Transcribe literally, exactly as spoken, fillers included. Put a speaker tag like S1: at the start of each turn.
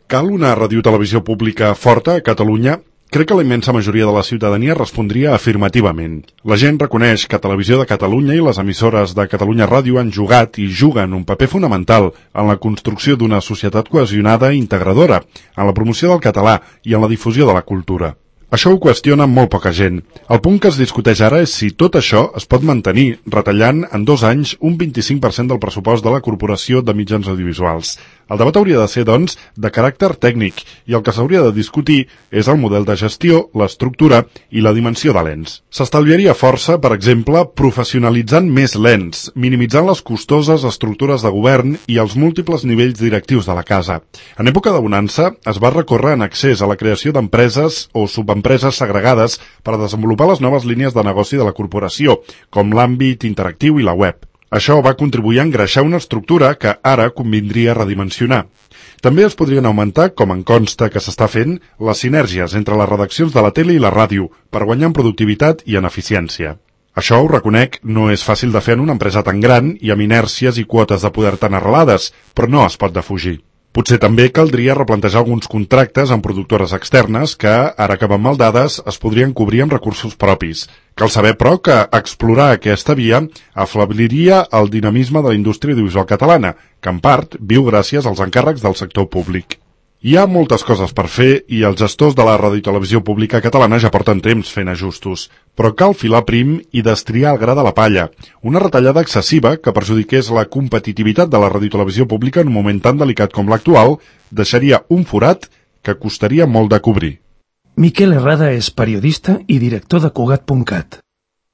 S1: Cal una radiotelevisió pública forta a Catalunya? Crec que la immensa majoria de la ciutadania respondria afirmativament. La gent reconeix que Televisió de Catalunya i les emissores de Catalunya Ràdio han jugat i juguen un paper fonamental en la construcció d'una societat cohesionada i integradora, en la promoció del català i en la difusió de la cultura. Això ho qüestiona molt poca gent. El punt que es discuteix ara és si tot això es pot mantenir, retallant en dos anys un vint-i-cinc per cent del pressupost de la Corporació de Mitjans Audiovisuals. El debat hauria de ser, doncs, de caràcter tècnic, i el que s'hauria de discutir és el model de gestió, l'estructura i la dimensió de l'ens. S'estalviaria força, per exemple, professionalitzant més l'ens, minimitzant les costoses estructures de govern i els múltiples nivells directius de la casa. En època de bonança, es va recórrer en accés a la creació d'empreses o subempreses segregades per a desenvolupar les noves línies de negoci de la corporació, com l'àmbit interactiu i la web. Això va contribuir a engreixar una estructura que ara convindria redimensionar. També es podrien augmentar, com en consta que s'està fent, les sinergies entre les redaccions de la tele i la ràdio per guanyar en productivitat i en eficiència. Això, ho reconec, no és fàcil de fer en una empresa tan gran i amb inèrcies i quotes de poder tan arrelades, però no es pot defugir. Potser també caldria replantejar alguns contractes amb productores externes que, ara que van mal dades, es podrien cobrir amb recursos propis. Cal saber, però, que explorar aquesta via aflabliria el dinamisme de la indústria audiovisual catalana, que en part viu gràcies als encàrrecs del sector públic. Hi ha moltes coses per fer i els gestors de la radiotelevisió pública catalana ja porten temps fent ajustos, però cal filar prim i destriar el gra de la palla. Una retallada excessiva que perjudiqués la competitivitat de la radiotelevisió pública en un moment tan delicat com l'actual deixaria un forat que costaria molt de cobrir.
S2: Miquel Herrada és periodista i director de Cugat punt cat.